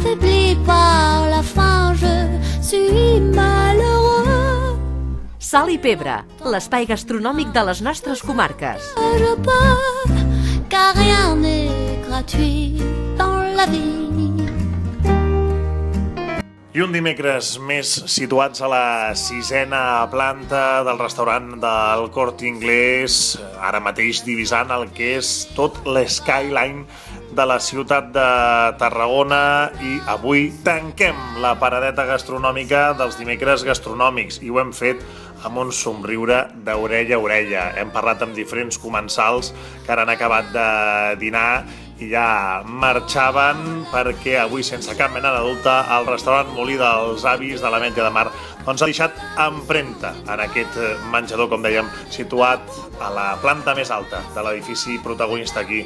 affaibli par la faim, je suis malheureux. Sal i Pebre, l'espai gastronòmic de les nostres comarques. Je peux, car rien n'est gratuit dans la vie. I un dimecres més situats a la 6a planta del restaurant del Corte Inglés, ara mateix divisant el que és tot l'skyline de la ciutat de Tarragona, i avui tanquem la paradeta gastronòmica dels dimecres gastronòmics i ho hem fet amb un somriure d'orella a orella. Hem parlat amb diferents comensals que ara han acabat de dinar i ja marxaven perquè avui, sense cap mena de dubte, el restaurant Molí dels Avis de l'Ametlla de Mar doncs ha deixat empremta en aquest menjador, com dèiem, situat a la planta més alta de l'edifici protagonista aquí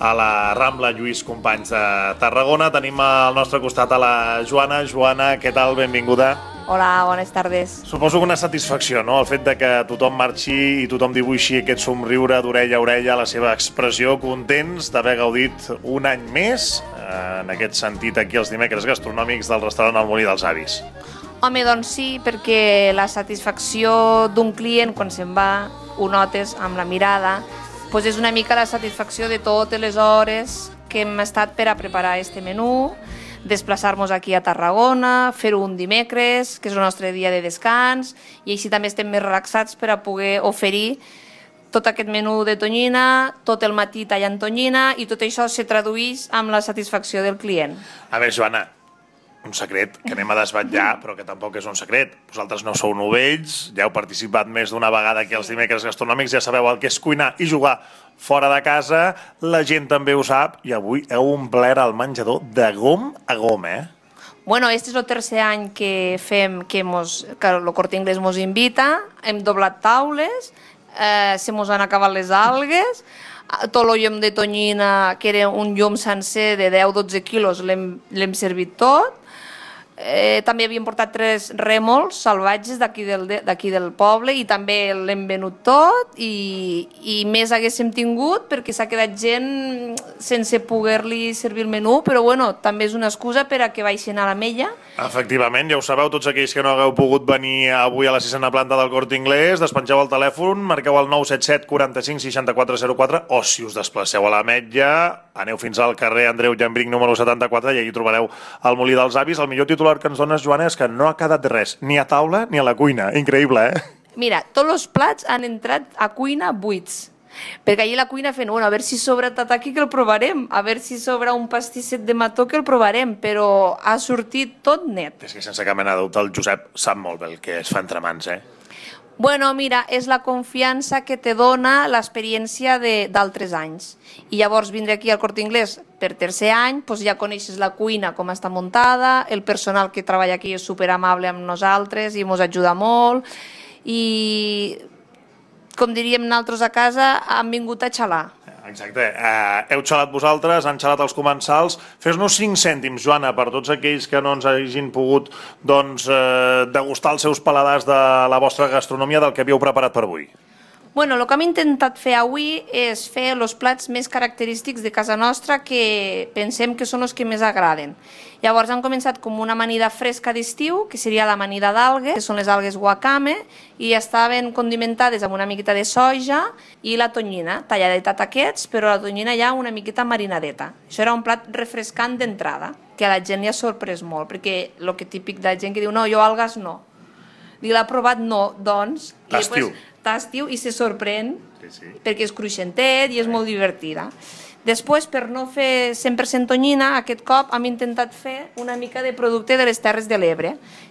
a la Rambla Lluís Companys de Tarragona. Tenim al nostre costat a la Joana. Joana, què tal? Benvinguda. Hola, bones tardes. Suposo que una satisfacció, no?, el fet de que tothom marxi i tothom dibuixi aquest somriure d'orella a orella, la seva expressió, contents d'haver gaudit un any més, en aquest sentit, aquí els dimecres gastronòmics del restaurant El Molí dels Avis. Home, doncs sí, perquè la satisfacció d'un client quan se'n va, ho notes amb la mirada, doncs és una mica la satisfacció de totes les hores que hem estat per a preparar este menú, desplaçar-nos aquí a Tarragona, fer-ho un dimecres, que és el nostre dia de descans, i així també estem més relaxats per a poder oferir tot aquest menú de tonyina, tot el matí tallant tonyina, i tot això se tradueix amb la satisfacció del client. A veure, Joana, un secret que anem a desvetllar, però que tampoc és un secret. Vosaltres no sou novells, ja heu participat més d'una vegada aquí als dimecres gastronòmics, ja sabeu el que és cuinar i jugar fora de casa, la gent també ho sap, i avui heu omplert el menjador de gom a gom, eh? Bueno, este és el tercer any que fem, que el Corte Inglés mos invita, hem doblat taules, se mos han acabat les algues, tot el llom de tonyina, que era un llom sencer de 10-12 quilos, l'hem servit tot. També havíem portat 3 rèmols salvatges d'aquí del poble i també l'hem venut tot, i més haguéssim tingut perquè s'ha quedat gent sense poder-li servir el menú, però bueno, també és una excusa per a que baixin a l'Ametlla. Efectivament, ja ho sabeu, tots aquells que no hagueu pogut venir avui a la 6a planta del Corte Inglés, despengeu el telèfon, marqueu el 977 45 64 04, o si us desplaceu a l'Ametlla, aneu fins al carrer Andreu Llambrinc número 74 i allí trobareu el Molí dels Avis. El millor titular que ens dones, Joana, és que no ha quedat res, ni a taula ni a la cuina. Increïble, eh? Mira, tots els plats han entrat a cuina buits, perquè allà la cuina fent, bueno, a veure si sobra tataki que el provarem, a veure si sobra un pastisset de mató que el provarem, però ha sortit tot net. És que sense cap mena de dubte el Josep sap molt bé el que es fa entre mans, eh? Bueno, mira, és la confiança que te dona l'experiència d'altres anys. I llavors vindre aquí al Corte Inglés per tercer any, doncs ja coneixes la cuina com està muntada, el personal que treballa aquí és superamable amb nosaltres i ens ajuda molt, i com diríem nosaltres a casa, han vingut a xalar. Exacte. Heu xalat vosaltres, han xalat els comensals. Fes-nos 5 cèntims, Joana, per tots aquells que no ens hagin pogut degustar els seus paladars de la vostra gastronomia, del que havíeu preparat per avui. Bueno, el que hem intentat fer avui és fer els plats més característics de casa nostra que pensem que són els que més agraden. Llavors hem començat com una amanida fresca d'estiu, que seria l'amanida d'algues, que són les algues wakame, i estaven condimentades amb una miqueta de soja i la tonyina, tallada taquets, però la tonyina ja una miqueta marinadeta. Això era un plat refrescant d'entrada, que a la gent li ha sorprès molt, perquè el que típic de la gent que diu no, jo algues no. L'ha provat, no, doncs... T'estiu i se sorprèn, perquè és cruixentet i és molt divertida. Després, per no fer 100% tonyina, aquest cop hem intentat fer una mica de producte de les Terres de l'Ebre,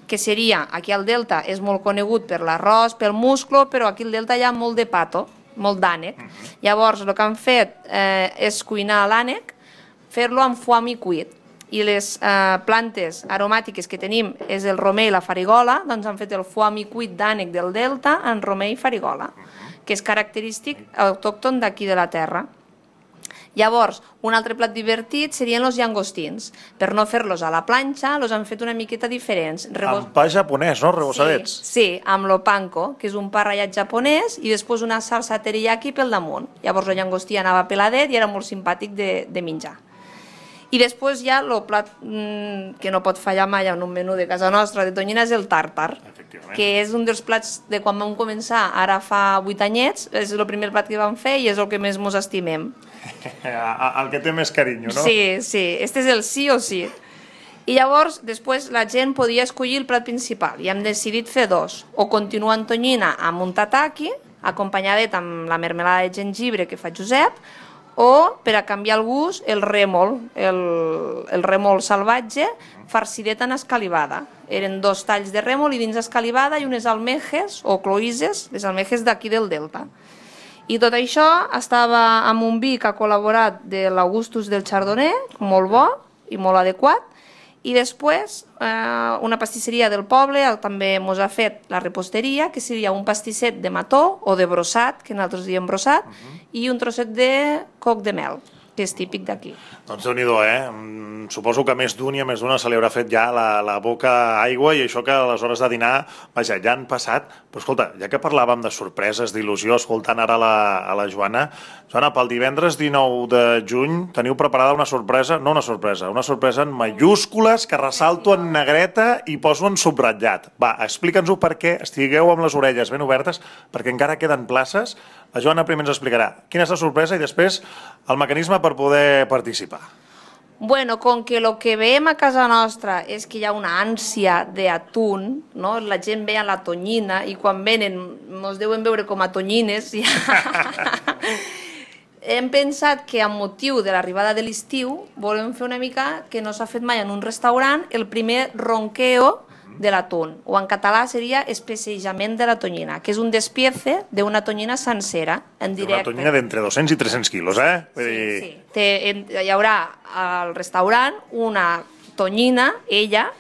que seria, aquí al Delta és molt conegut per l'arròs, pel musclo, però aquí al Delta hi ha molt de pato, molt d'ànec. Llavors, el que han fet és cuinar l'ànec, fer-lo amb foam i cuit. I les plantes aromàtiques que tenim és el romer i la farigola, doncs han fet el foam i cuit d'ànec del Delta en romer i farigola, que és característic autòcton d'aquí de la terra. Llavors, un altre plat divertit serien els llangostins. Per no fer-los a la planxa, els han fet una miqueta diferents. Amb pa japonès, no? Rebossadets. Sí, amb lo panko, que és un pa ratllat japonès, i després una salsa teriyaki pel damunt. Llavors el llangostí anava peladet i era molt simpàtic de menjar. I després ja el plat que no pot fallar mai en un menú de casa nostra de tonyina és el tàrtar, que és un dels plats de quan vam començar, ara fa 8 anyets, és el primer plat que vam fer i és el que més mos estimem. El que té més carinyo, no? Sí, sí, este és el sí o sí. I llavors, després, la gent podia escollir el plat principal i hem decidit fer dos, o continuar en tonyina amb un tataki, acompanyadet amb la mermelada de gengibre que fa Josep, o, per a canviar el gust, el rèmol, el rèmol salvatge, farcidet en escalivada. Eren 2 talls de rèmol i dins escalivada i unes almejes, o cloïsses, les almejes d'aquí del Delta. I tot això estava amb un vi que ha col·laborat de l'Augustus del Chardonnay, molt bo i molt adequat, i després una pastisseria del poble també ens ha fet la reposteria, que seria un pastisset de mató o de brossat, que nosaltres diem brossat, i un trosset de coc de mel, que és típic d'aquí. Doncs Déu-n'hi-do, Suposo que més d'un i a més d'una se li haurà fet ja la boca aigua i això que a les hores de dinar, vaja, ja han passat. Però escolta, ja que parlàvem de sorpreses, d'il·lusió, escoltant ara a la Joana, pel divendres 19 de juny teniu preparada una sorpresa, no una sorpresa, una sorpresa en mayúscules que ressalto en negreta i poso en subratllat. Va, explica'ns-ho perquè estigueu amb les orelles ben obertes, perquè encara queden places. La Joana primer ens explicarà quina és la sorpresa i després el mecanisme per poder participar. Bueno, com que el que veiem a casa nostra és que hi ha una ànsia d'atún, no? La gent ve a la tonyina i quan venen ens deuen veure com a tonyines. Hem pensat que amb motiu de l'arribada de l'estiu volem fer una mica que no s'ha fet mai en un restaurant, el primer ronqueo de l'atún, o en català seria especejament de la tonyina, que és un despiece d'una tonyina sencera, en directe. Una tonyina d'entre 200 i 300 quilos, Sí. Hi haurà al restaurant una tonyina, ella,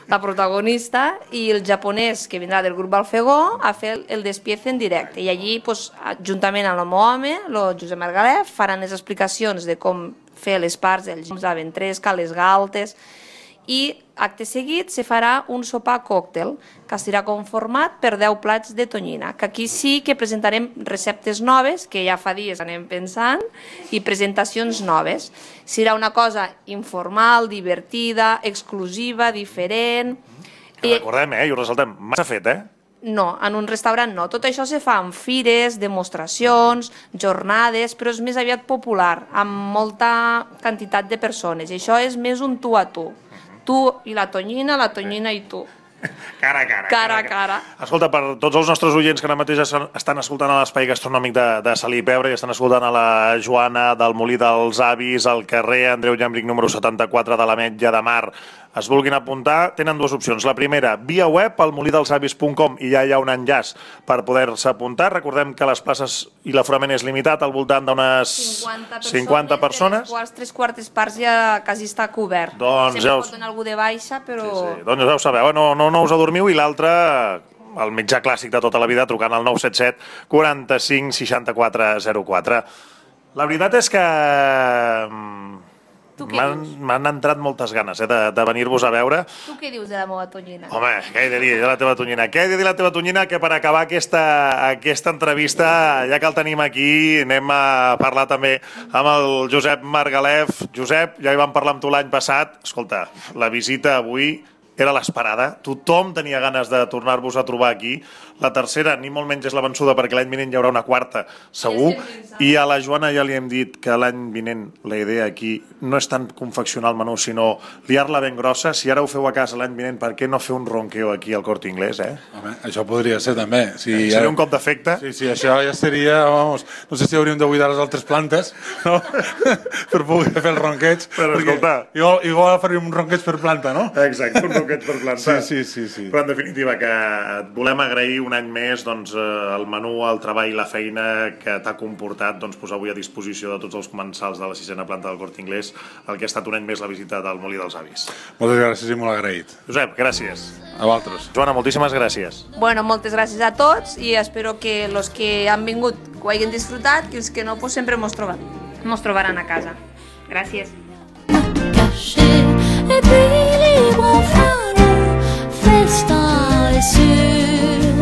la protagonista, i el japonès que vindrà del grup Balfegó a fer el despiece en directe. I allí, juntament amb el meu home, el Josep Margalef, faran les explicacions de com fer les parts, la ventresca, les galtes, i acte seguit se farà un sopar còctel que estarà conformat per 10 plats de tonyina, que aquí sí que presentarem receptes noves, que ja fa dies anem pensant, i presentacions noves. Serà una cosa informal, divertida, exclusiva, diferent. Que recordem, i ho ressaltem, massa fet, No, en un restaurant no. Tot això se fa en fires, demostracions, jornades, però és més aviat popular, amb molta quantitat de persones. I això és més un tu a tu. Tu i la tonyina i tu. Cara a cara. Cara a cara. Escolta, per tots els nostres oients que ara mateix estan escoltant a l'Espai Gastronòmic de Salí i Pebre i estan escoltant a la Joana del Molí dels Avis, al carrer Andreu Llambric número 74 de l'Ametlla de Mar, es vulguin apuntar, tenen dues opcions. La primera, via web al molidelsavis.com, i ja hi ha un enllaç per poder-se apuntar. Recordem que les places i l'aforament és limitat al voltant d'unes 50 persones. De les quals 3/4 parts ja quasi està cobert. Sempre pot donar algú de baixa, però... Sí. Doncs ja ho sabeu, no us adormiu. I l'altre, el mitjà clàssic de tota la vida, trucant al 977 45 64 04. La veritat és que m'han entrat moltes ganes de venir-vos a veure. Tu què dius de la meva tonyina? Home, què he de dir de la teva tonyina? Què he de dir de la teva tonyina? Que per acabar aquesta entrevista, ja que el tenim aquí, anem a parlar també amb el Josep Margalef. Josep, ja hi vam parlar amb tu l'any passat. Escolta, la visita avui era l'esperada. Tothom tenia ganes de tornar-vos a trobar aquí. La tercera, ni molt menys és la vençuda, perquè l'any vinent hi haurà una quarta, segur. I a la Joana ja li hem dit que l'any vinent la idea aquí no és tant confeccionar el menú, sinó liar-la ben grossa. Si ara ho feu a casa l'any vinent, per què no fer un ronqueo aquí al Corte Inglés, Home, això podria ser també. Seria un cop d'efecte? Sí, això ja seria, vamos, no sé si hauríem de buidar les altres plantes, no? Per poder fer el ronqueig. Però escolta... Igual faríem un ronqueig per planta, no? Exacte, un ronqueig per planta. Sí. Però en definitiva que et volem agrair un any més el menú, el treball i la feina que t'ha comportat posar avui a disposició de tots els comensals de la 6a planta del Corte Inglés el que ha estat un any més la visita del Molí dels Avis. Moltes gràcies i molt agraït. Josep, gràcies. A vosaltres. Joana, moltíssimes gràcies. Bueno, moltes gràcies a tots i espero que els que han vingut ho hagin disfrutat i els que no, sempre mos trobaran a casa. Gràcies. Et puis libre enfin, le festin est sûr.